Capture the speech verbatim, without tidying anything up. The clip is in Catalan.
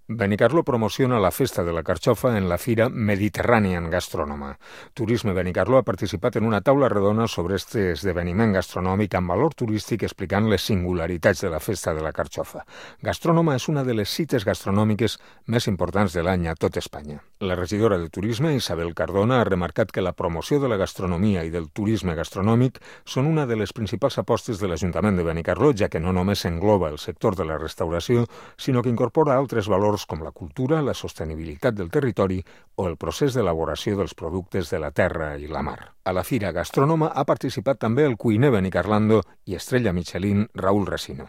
Benicarló promociona la Festa de la Carxofa en la Fira Mediterranean Gastronoma. Turisme Benicarló ha participat en una taula redona sobre aquest esdeveniment gastronòmic amb valor turístic explicant les singularitats de la Festa de la Carxofa. Gastronoma és una de les cites gastronòmiques més importants de l'any a tot Espanya. La regidora de Turisme, Isabel Cardona, ha remarcat que la promoció de la gastronomia i del turisme gastronòmic són una de les principals apostes de l'Ajuntament de Benicarló, ja que no només engloba el sector de la restauració, sinó que incorpora altres valors com la cultura, la sostenibilitat del territori o el procés d'elaboració dels productes de la terra i la mar. A la Fira Gastronoma ha participat també el cuiner benicarlando i estrella Michelin Raúl Resino.